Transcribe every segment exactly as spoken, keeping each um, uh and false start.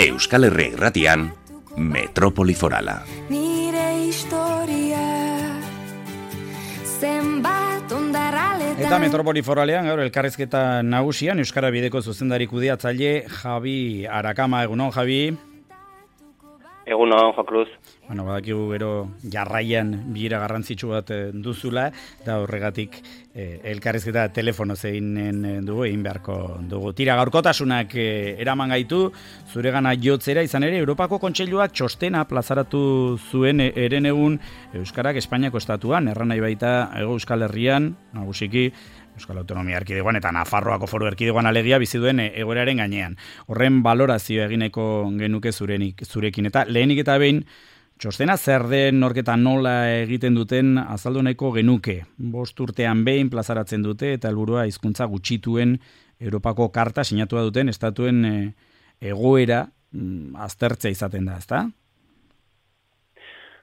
Euskal Herria Irratian, Metropoli Forala. Nire historia zenbat ondarraletan. Eta Metropoli Foralean gaur elkarrizketa nagusian Euskara Bideko zuzendari kudeatzaile Javi Arakama. Egunon, Javi. Egunon, Jo Cruz. Bueno, badakigu gero jarraian bilera garrantzitsu bat duzula, eta horregatik eh, elkarrizketa telefono zeinen dugu, egin beharko dugu. Tira, gaurkotasunak eh, eraman gaitu, zuregana jotzera izan ere, Europako Kontseiluak txostena plazaratu zuen eren egun Euskarak Espainiako estatuan, erran nahi baita Hego Euskal Herrian, nagusiki, Euskal Autonomia Erkidegoan eta Nafarroako Foru Erkidegoan alegia bizi duen egoeraren gainean. Horren balorazio egineko genuke zurenik, zurekin. Eta lehenik eta behin, txostena zer den norketa nola egiten duten azaldu nahiko genuke. Bost urtean behin plazaratzen dute eta helburua hizkuntza gutxituen Europako karta sinatua duten estatuen e, egoera mm, aztertzea izaten da, ezta?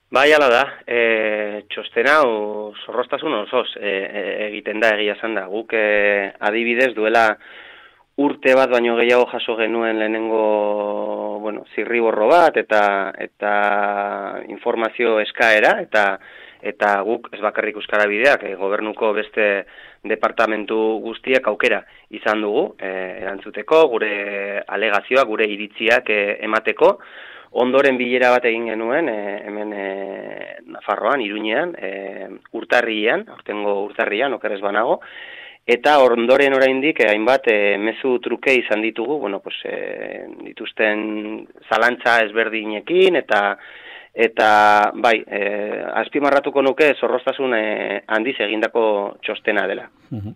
Bai, ala da, e, txostena hau zorroztasun osoz e, e, egiten da, egia esan da. Guk e, adibidez duela urte bat baino gehiago jaso genuen lehenengo, bueno, zirriborro bat eta eta informazio eskaera eta eta guk ez bakarrik Euskara Bideak, e, gobernuko beste departamentu guztiek aukera izan dugu e, erantzuteko, gure alegazioa, gure iritziak e, emateko. Ondoren bilera bat egin genuen, e, hemen e, Nafarroan, Iruñean, e, urtarrian, aurtengo urtarrian, okerrez banago, eta ondoren oraindik e, hainbat e, mezu truke izan ditugu, bueno, pues, e, dituzten zalantza ezberdinekin, eta eta bai, e, azpimarratuko nuke zorroztasun e, handiz egindako txostena dela. Uh-huh.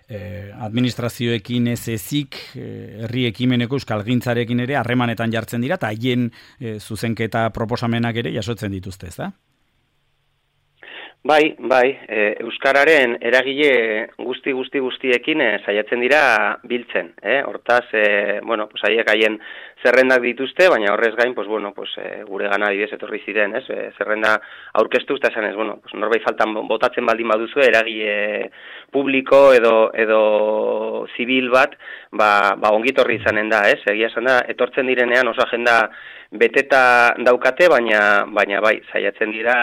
Eh, administrazioekin ez ezik, herri ekimeneko euskalgintzarekin ere harremanetan jartzen dira, eta haien eh, zuzenketa proposamenak ere jasotzen dituzte, ez da? Bai, bai, e, Euskararen eragile guzti guzti guztiekin e, saiatzen dira biltzen, eh? Hortaz, e, bueno, pues haiek haien zerrendak dituzte, baina horrez gain, pues bueno, pues e, gure gana adibidez etorri ziren, ez? E, zerrenda aurkeztu eta esan ez, bueno, pues norbait faltan botatzen baldin baduzu eragile publiko edo edo zibil bat, ba, ba ongitorri izanen da, ez? Egia esan da, etortzen direnean oso agenda beteta daukate, baina baina bai, saiatzen dira,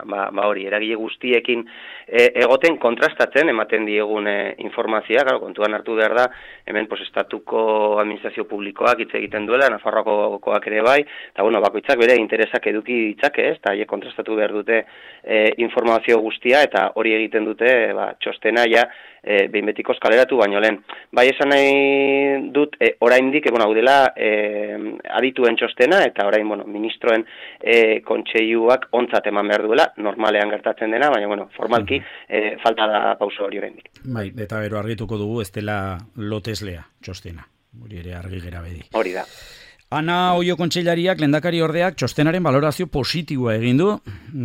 ba, ba hori, eragile guztiekin e, egoten kontrastatzen ematen diegun e, informazioa, claro, kontuan hartu behar da, hemen pues estatuko administrazio publikoak hitz egiten duela, Nafarroakoak ere bai, eta bueno, bakoitzak bere interesak eduki ditzake, ez? Ta haiek kontrastatu behar dute e, informazio guztia eta hori egiten dute, ba, txostena ja e, behin betikoz kaleratu baino lehen. Bai esan nahi dut e, oraindik egon hau dela e, adituen txostena eta orain, bueno, ministroen e, kontseiluak ontzat eman behar duela, normalean gertatzen dena, baina, bueno, formalki e, falta da pauso hori oraindik. Bai, eta gero argituko dugu ez dela loteslea txostena, hori ere argi gera bedi. Hori da. Ana Oio kontseilariak lehendakari ordeak txostenaren balorazio positiboa egin du.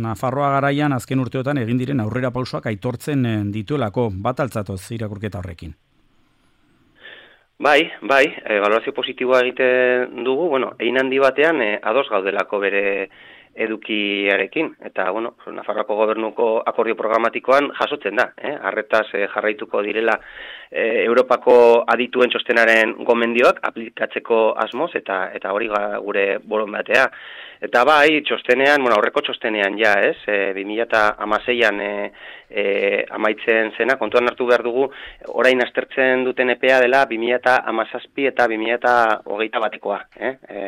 Nafarroa garaian azken urteotan egin diren aurrera pausoak aitortzen dituelako, bat altzatoz irakurketa horrekin. Bai, bai, e, balorazio positiboa egiten dugu, bueno, egin handi batean e, ados gaudelako bere edukiarekin, eta, bueno, Nafarroako gobernuko akordio programatikoan jasotzen da, eh? Arretaz eh, jarraituko direla eh, Europako adituen txostenaren gomendioak aplikatzeko asmoz, eta eta hori ga, gure borondatea. Eta bai, txostenean, bueno, aurreko txostenean ja, ez, e, bi mila hamaseian e, e, amaitzen zena, kontuan hartu behar dugu, orain aztertzen duten epea dela bi mila hamazazpi eta bi mila hogeita batekoa, eh? E,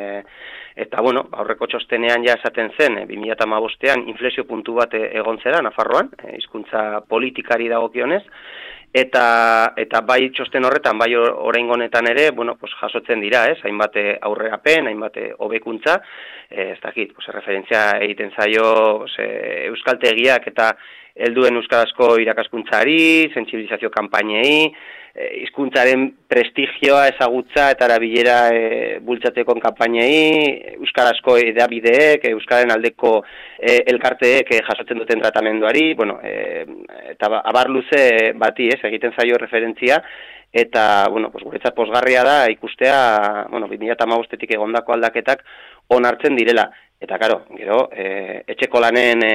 Eta, bueno, aurreko txostenean ja esaten zen, e, bi mila hamabostean inflexio puntu bat egon zera Nafarroan, e, hizkuntza politikari dagokionez, eta eta bai txosten horretan, bai oraingo honetan ere, bueno, pues jasotzen dira, ez? Hainbat aurrerapen, hainbat hobekuntza, e, ez dakit, pues referentzia egiten zaio, pues, e, euskaltegiak eta helduen euskarazko irakaskuntzari, sentsibilizazio kanpainei, hizkuntzaren e, prestigioa, ezagutza eta erabilera e, bultzatzeko kanpainei, euskarazko hedabideek, euskararen aldeko e, elkarteek e, jasotzen duten tratamenduari, bueno, e, eta abar luze bati, ez, egiten zaio referentzia, eta, bueno, pues, guretzat pozgarria da ikustea, bueno, bi mila hamabostetik egondako aldaketak onartzen direla. Eta, karo, gero, e, etxeko lanen e,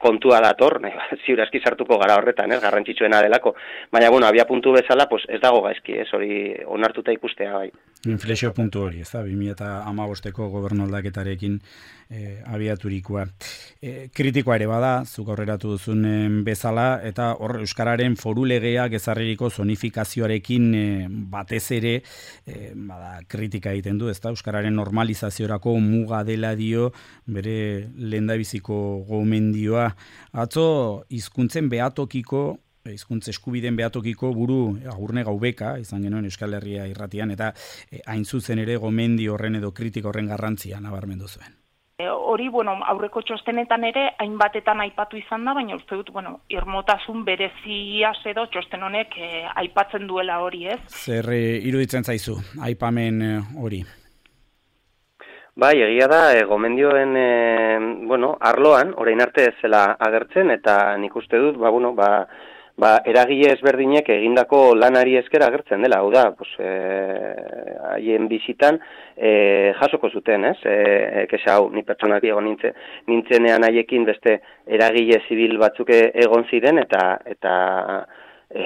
kontua dator, nahi, ziur aski sartuko gara horretan, ez, garrantzitsuena delako. Baina, bueno, abia puntu bezala, pues, ez dago gaizki, ez, hori onartuta ikustea, bai. Inflexio puntu hori, ez da, bi mila hamabosteko gobernu aldaketarekin e, abiaturikoa. E, kritikoa ere bada, zuk aurreratu duzun bezala, eta hor Euskararen foru legeak ezarririko zonifikazioarekin e, batez ere e, bada, kritika egiten du, ez da, Euskararen normalizaziorako muga dela dio bere lehendabiziko gomendioa. Atzo, hizkuntzen behatokiko hizkuntza eskubideen behatokiko buru Agurne Gaubeka izan genuen Euskal Herria irratian, eta e, hain zuzen ere gomendi horren edo kritika horren garrantzia nabarmendu zuen. Hori, bueno, aurreko txostenetan ere hainbatetan aipatu izan da, baina uste dut, bueno, irmotasun bereziaz edo txosten honek eh, aipatzen duela hori, ez? Zer e, iruditzen zaizu, aipamen e, hori? Bai, egia da, e, gomendioen, e, bueno, arloan, orain arte ez zela agertzen, eta nik uste dut, ba, bueno, ba, ba, eragile ezberdinek egindako lanari esker agertzen dela, hau da, pues, e, haien bizitan e, jasoko zuten, ez? E, kesa hau, ni pertsonaki egon nintzen, nintzenean haiekin beste eragile zibil batzuk egon ziren, eta eta e,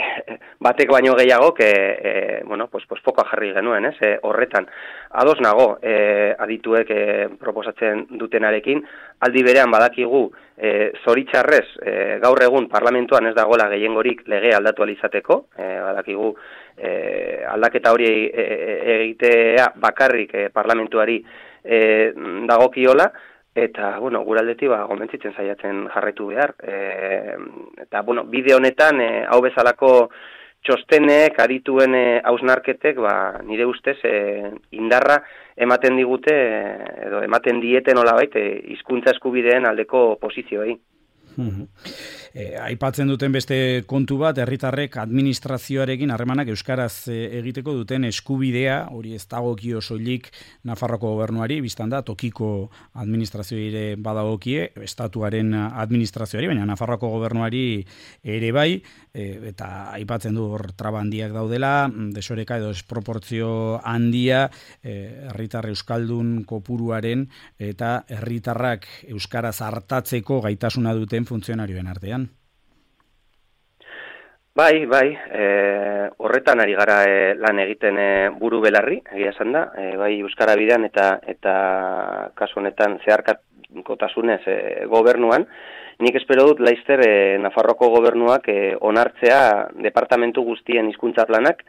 batek baino gehiago, que, e, bueno, pues, pues, fokoa jarri genuen, ez? E, horretan, ados nago, e, adituek e, proposatzen dutenarekin, aldi berean badakigu, e, zoritxarrez, e, gaur egun parlamentuan ez dagoela gehiengorik lege aldatu alizateko, e, badakigu e, aldaketa hori egitea bakarrik e, parlamentuari e, dagokiola, eta, bueno, guraldetik ba, gomentzitzen saiatzen jarraitu behar. E, eta, bueno, bide honetan, e, hau bezalako txostenek, adituen e, hausnarketek, ba, nire ustez, e, indarra ematen digute, edo ematen dieten nolabait, e, hizkuntza eskubideen aldeko posizioei. E, aipatzen duten beste kontu bat, herritarrek administrazioarekin harremanak euskaraz e, egiteko duten eskubidea, hori ez dagokio soilik Nafarroko gobernuari, biztan da, tokiko administrazioire badagokie, estatuaren administrazioari, baina Nafarroko gobernuari ere bai, e, eta aipatzen du hor traba handiak daudela, desoreka edo desproportzio handia, e, herritar euskaldun kopuruaren eta herritarrak euskaraz hartatzeko gaitasuna duten funtzionarioen artean. Bai, bai, e, horretan ari gara e, lan egiten e, buru belarri, egia esan da, e, bai Euskara bidean eta eta kasu honetan zeharkakotasunez e, gobernuan. Nik espero dut laizter e, Nafarroko gobernuak e, onartzea departamentu guztien hizkuntza planak,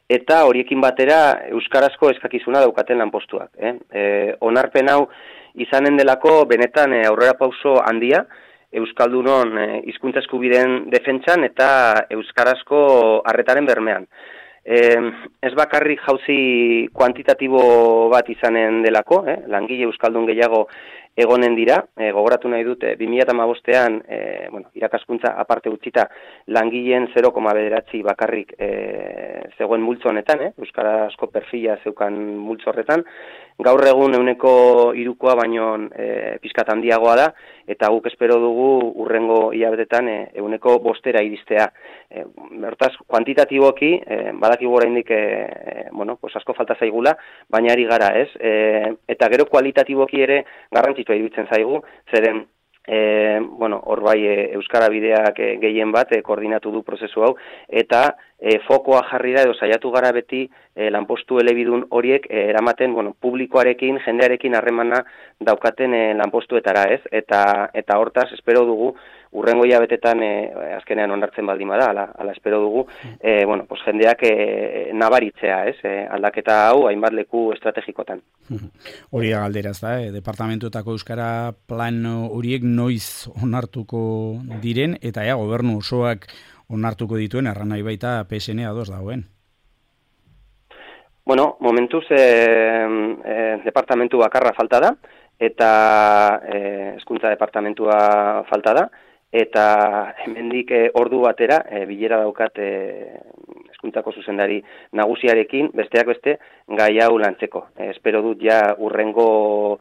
eta horiekin batera euskarazko eskakizuna daukaten lanpostuak. Eh? E, onarpen hau izanen delako benetan e, aurrera pauso handia, Euskaldunon hizkuntza eskubideen defentsan eta euskarazko arretaren bermean. E, ez bakarrik jauzi kuantitatibo bat izanen delako, eh? Langile euskaldun gehiago egonen dira, e, gogoratu nahi dute, bi mila hamabostan e, bueno, irakaskuntza aparte utzita langileen zero koma bederatzi bakarrik e, zegoen multzo honetan, eh? Euskarazko perfila zeukan multzo horretan, gaur egun euneko hirukoa baino e, pizkat handiagoa da, eta guk espero dugu urrengo hilabetetan e, euneko bostera iristea. E, Bertaz, kuantitatiboki, e, badakigu oraindik e, bueno, pues asko falta zaigula, baina ari gara, ez? E, eta gero kualitatiboki ere garrantzitsua iruditzen zaigu, zeren E, bueno, hor bai e, Euskara bideak e, gehien bat e, koordinatu du prozesu hau, eta e, fokoa jarri da edo saiatu gara beti e, lanpostu elebidun horiek e, eramaten, bueno, publikoarekin, jendearekin harremana daukaten e, lanpostuetara, ez? Eta eta hortaz espero dugu urrengo hilabetetan e, azkenean onartzen baldin bada, ala, ala espero dugu, e, bueno, pues jendeak e, nabaritzea, ez? E, aldaketa hau hainbat leku estrategikotan. Hori da galderaz da, e, departamentuetako euskara plan horiek noiz onartuko diren, eta ea gobernu osoak onartuko dituen, erran nahi baita P S N ados dagoen. Bueno, momentuz e, e, departamentu bakarra falta da, eta e, hezkuntza departamentua falta da, eta hemendik e, ordu batera e, bilera daukat e, hezkuntzako zuzendari nagusiarekin, besteak beste gai hau lantzeko. E, espero dut ja urrengo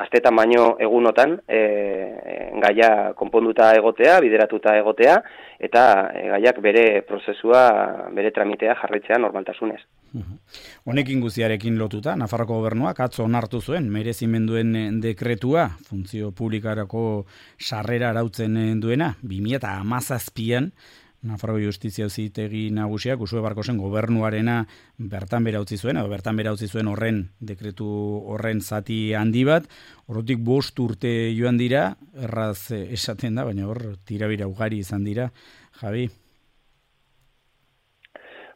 astetan baino egunotan e, gaia konponduta egotea, bideratuta egotea, eta e, gaiak bere prozesua, bere tramitea jarraitzea normaltasunez. Honekin guztiarekin lotuta, Nafarroko gobernuak atzo onartu zuen merezimenduen dekretua, funtzio publikarako sarrera arautzen duena, bi mila hamazazpian Nafarroko Justizia Auzitegi Nagusiak Uxue Barkosen gobernuarena bertan bera utzi zuen, edo bertan bera utzi zuen horren dekretu horren zati handi bat, horretik bost urte joan dira, erraz esaten da, baina hor tirabira ugari izan dira, Javi.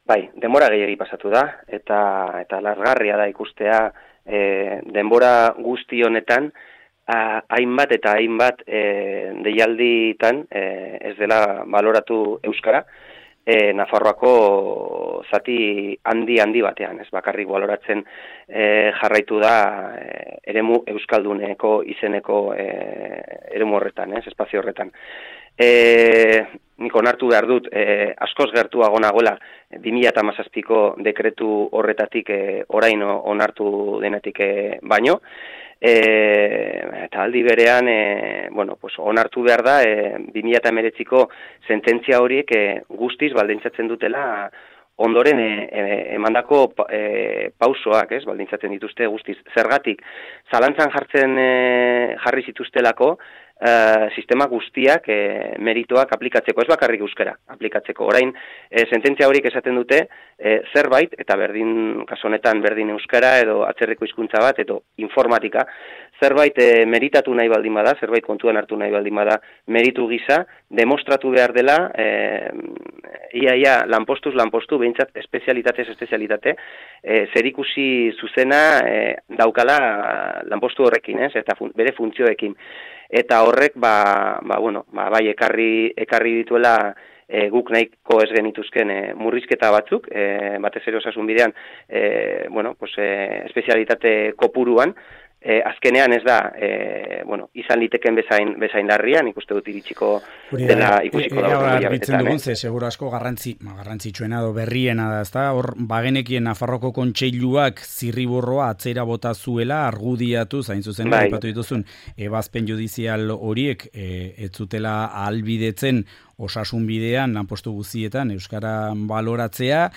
Bai, denbora gehiegi pasatu da, eta eta largarria da ikustea e, denbora guzti honetan, A, hainbat eta hainbat e, deialditan e, ez dela baloratu euskara e, Nafarroako zati handi handi batean, ez bakarrik baloratzen e, jarraitu da e, eremu euskalduneko izeneko e, eremu horretan, ez, espazio horretan. E, nik onartu behar dut, e, askoz gertuago nagoela bi mila hamazazpiko dekretu horretatik e, orain onartu denetik e, baino, E, eta aldi berean e, bueno, pues onartu behar da e, bi mila hemeretziko sententzia horiek e, guztiz baldintzatzen dutela ondoren e, e, emandako e, pausoak, ez, baldintzatzen dituzte guztiz. Zergatik, zalantzan jartzen e, jarri zituztelako Uh, sistema guztiak e, meritoak aplikatzeko, ez bakarrik euskara aplikatzeko. Orain, e, sententzia horiek esaten dute e, zerbait, eta berdin, kasu honetan berdin euskara edo atzerriko hizkuntza bat, edo informatika, zerbait e, meritatu nahi baldin bada, zerbait kontuan hartu nahi baldin bada, meritu gisa, demostratu behar dela, e, ia, ia, lanpostuz, lanpostu, behintzat, espezialitatez, espezialitate, e, zerikusi zuzena e, daukala lanpostu horrekin, ez, eta fun, bere funtzioekin. Eta horrek, ba, ba, bueno, ba, bai, ekarri, ekarri dituela e, guk nahiko ez genituzken e, murrizketa batzuk, e, batez ere osasun bidean, e, bueno, pues, e, espezialitate kopuruan, e, azkenean ez da, e, bueno, izan liteken bezain, bezain larrian, ikuste dut iritsiko dela ikusiko da. Hora argitzen dugun, ze seguro asko garrantzi, ma, garrantzitsuena do berriena da, ezta? Hor, bagenekien Nafarroko kontseiluak zirriborroa atzera bota zuela, argudiatu, zain zuzen, bai. Aipatu dituzun, ebazpen judizial horiek, e, ez zutela ahalbidetzen osasun bidean, lanpostu guztietan, euskara baloratzea,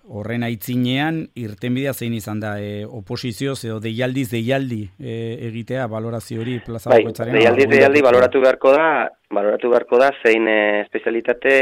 horren aitzinean, irtenbidea zein izan da, e, oposizioz edo deialdiz deialdi e, egitea balorazio hori plaza bai, bakoitzaren. Deialdiz deialdi baloratu beharko da, baloratu beharko da zein e, espezialitate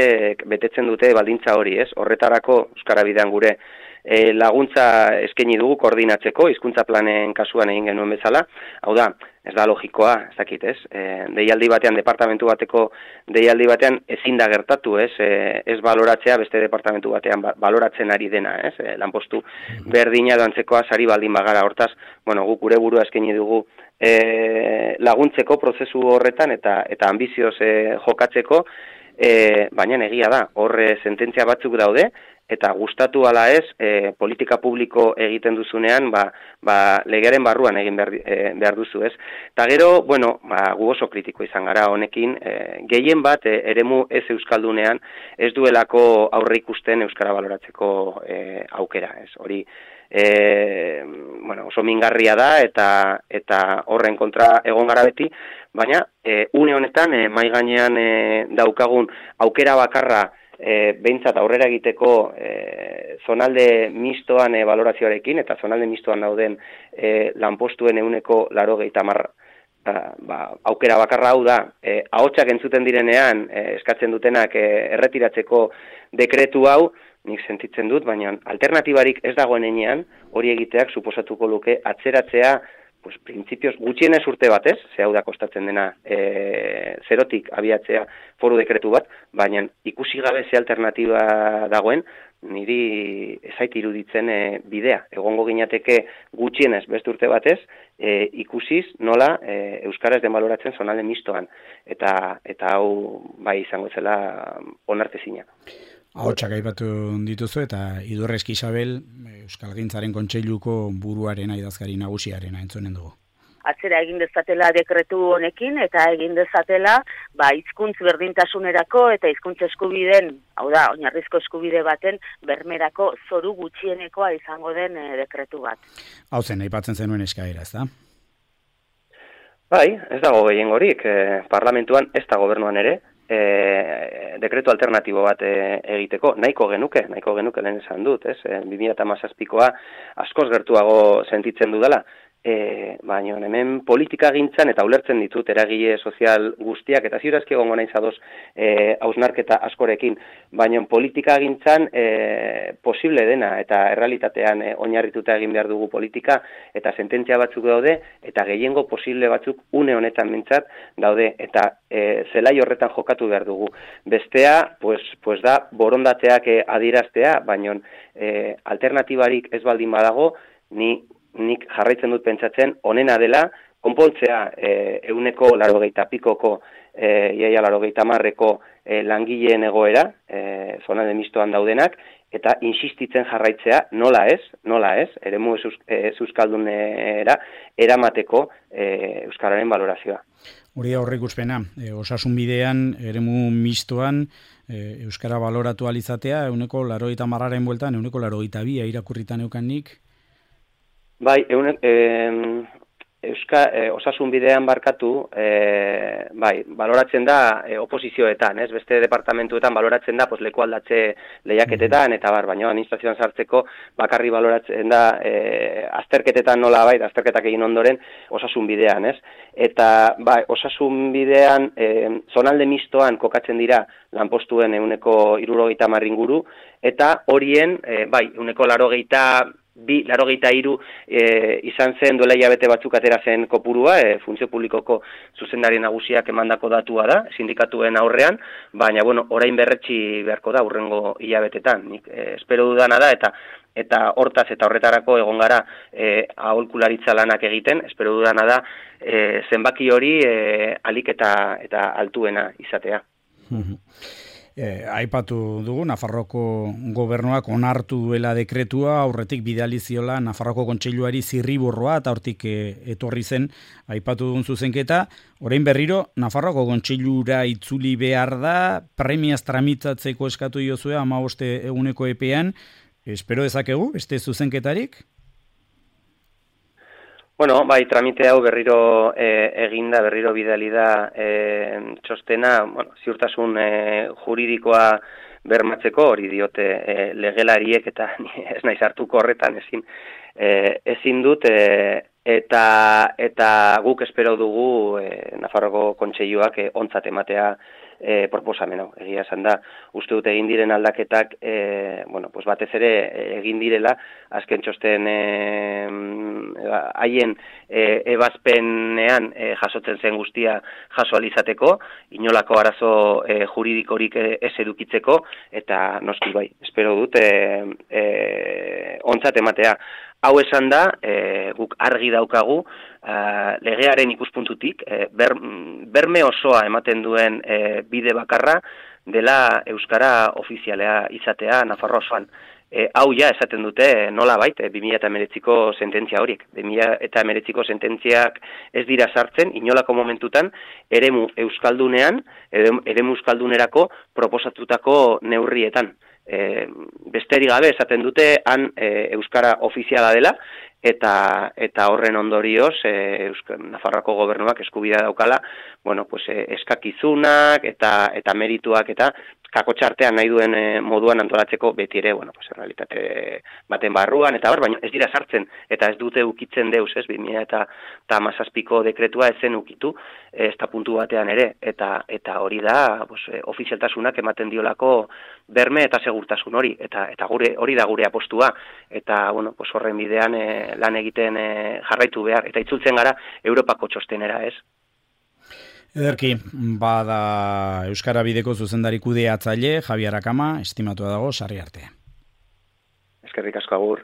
betetzen dute baldintza hori, ez? Horretarako euskara bidean gure e, laguntza eskaini dugu koordinatzeko, hizkuntza planen kasuan egin genuen bezala, hau da, ez da logikoa, ez dakit, ez? E, deialdi batean, departamentu bateko deialdi batean ezin da gertatu, ez? E, ez baloratzea beste departamentu batean ba, baloratzen ari dena, ez? E, lanpostu berdina doantzekoa sari baldin bagara, hortaz, bueno, guk gure burua eskaini dugu e, laguntzeko prozesu horretan eta eta ambizioz e, jokatzeko, e, baina egia da, horre sententzia batzuk daude, eta gustatu ala ez, e, politika publiko egiten duzunean, ba, ba legearen barruan egin behar, e, behar duzu, ez? Eta gero, bueno, ba, gu oso kritiko izan gara honekin, e, gehien bat, e, eremu ez euskaldunean, ez duelako aurre ikusten euskara baloratzeko e, aukera, ez? Hori, e, bueno, oso mingarria da, eta eta horren kontra egon gara beti, baina, e, une honetan, e, mai gainean e, daukagun aukera bakarra, E, behintzat aurrera egiteko e, zonalde mistoan e, valorazioarekin eta zonalde mistoan dauden e, lanpostuen euneko laurogeita hamar ba, aukera bakarra hau da, e, ahotsak entzuten direnean e, eskatzen dutenak e, erretiratzeko dekretu hau, nik sentitzen dut, baina alternatibarik ez dagoen enean, hori egiteak suposatuko luke atzeratzea pues, printzipioz gutxienez urte batez, ze hau da kostatzen dena e, zerotik abiatzea foru dekretu bat, baina ikusi gabe ze alternatiba dagoen, niri ezait iruditzen e, bidea. Egongo ginateke gutxienez beste urte batez, e, ikusiz nola e, euskaraz den baloratzen zonalde mistoan, eta eta hau bai izango zela onartezina. Ahotsak aipatu dituzu eta Idurreski Isabel Euskalgintzaren Kontseiluko buruaren idazkari nagusiaren entzunen dugu. Atzera egin dezatela dekretu honekin eta egin dezatela ba hizkuntz berdintasunerako eta hizkuntz eskubideen, hau da, oinarrizko eskubide baten bermerako zoru gutxienekoa izango den e, dekretu bat. Hau zen aipatzen zenuen eskaera, ezta? Bai, ez dago gehiengorik, eh, parlamentuan ez da gobernuan ere. E, dekretu alternatibo bat e, egiteko, nahiko genuke, nahiko genuke lehen esan dut, ez? E, bi mila hamazazpikoa askoz gertuago sentitzen dudala, E, baina hemen politika gintzan eta ulertzen ditut eragile sozial guztiak eta ziurazki egongo naiz ados e, hausnarketa askorekin, baina politika gintzan e, posible dena eta errealitatean e, oinarrituta egin behar dugu politika eta sententzia batzuk daude eta gehiengo posible batzuk une honetan mintzat daude eta e, zelai horretan jokatu behar dugu. Bestea, pues, pues da borondateak e, adieraztea, baina e, alternatibarik ez baldin badago, ni nik jarraitzen dut pentsatzen, onena dela, konpontzea e, euneko larogeita pikoko, e, iaia larogeita marreko e, langileen egoera, e, zona de mistoan daudenak, eta insistitzen jarraitzea, nola ez, nola ez, eremu ez euskaldunera, eramateko e, euskararen valorazioa. Hori aurreikuspena, e, osasun bidean, eremu mistoan, e, euskara baloratu alizatea, euneko larogeita marraren bueltan, euneko larogeita bia irakurritan eukanik. Bai, eune, e, euska, e, osasun bidean barkatu, e, bai, baloratzen da e, oposizioetan, ez? Beste departamentuetan baloratzen da pues, leku aldatze lehiaketetan, eta bar, baina administrazioan sartzeko bakarri baloratzen da e, azterketetan nola bai, azterketak egin ondoren osasun bidean, ez? Eta bai, osasun bidean e, zonalde mistoan kokatzen dira lanpostuen euneko hirurogeita hamar inguru, eta horien, e, bai, euneko larogeita bi, larogeita hiru e, izan zen duela hilabete batzuk atera zen kopurua, e, funtzio publikoko zuzendari nagusiak emandako datua da, sindikatuen aurrean, baina, bueno, orain berretsi beharko da urrengo hilabetetan. Nik e, espero dudana da, eta eta hortaz eta horretarako egon gara e, aholkularitza lanak egiten, espero dudana da e, zenbaki hori e, alik eta, eta altuena izatea. Eh, aipatu dugu, Nafarroko gobernuak onartu duela dekretua, aurretik bidali ziola Nafarroko kontseiluari zirriborroa eta hortik eh, etorri zen, aipatu dugun zuzenketa, orain berriro Nafarroko kontseilura itzuli behar da, premiaz tramitatzeko eskatu diozue hamabost eguneko epean, espero dezakegu, beste zuzenketarik? Bueno, bai, tramite hau berriro e, eginda, berriro bidali da e, txostena, bueno, ziurtasun e, juridikoa bermatzeko, hori diote e, legelariek eta ez naiz hartuko horretan ezin e, ezin dut e, eta eta guk espero dugu e, Nafarroko kontseiluak e, ontzat ematea e, proposamen hau. Egia esan da, uste dut egin diren aldaketak e, bueno, pues batez ere egin direla azken txosten haien e, ebazpenean e, jasotzen zen guztia jaso alizateko, inolako arazo e, juridikorik e, ez edukitzeko, eta noski bai, espero dut e, e, ontzat ematea. Hau esan da, e, guk argi daukagu, e, legearen ikuspuntutik, e, ber, berme osoa ematen duen e, bide bakarra dela euskara ofizialea izatea Nafarroa osoan. E, hau ja esaten dute nola bait, e, bi mila hemeretziko sententzia horiek. bi mila hemeretziko sententziak ez dira sartzen, inolako momentutan, eremu euskaldunean, eremu euskaldunerako proposatutako neurrietan. E, besterik gabe esaten dute han e, euskara ofiziala dela eta eta horren ondorioz e, Euskal Nafarroako gobernuak eskubidea daukala, bueno, pues e, eskakizunak eta eta merituak eta kakotxartean nahi duen e, moduan antolatzeko beti ere, bueno, pues realitate baten barruan eta bar, baina ez dira sartzen eta ez dute ukitzen deus, ez, bi mila hamazazpiko dekretua ez zen ukitu, ez da puntu batean ere, eta eta hori da, pues, e, ofizialtasunak ematen diolako berme eta segurtasun hori, eta eta gure hori da gure apostua, eta bueno, pues horren bidean e, lan egiten e, jarraitu behar, eta itzultzen gara Europako txostenera, ez? Ederki, bada Euskara Bideko zuzendari kudeatzaile Javier Akama, estimatua dago, sarri arte. Eskerrik asko agur.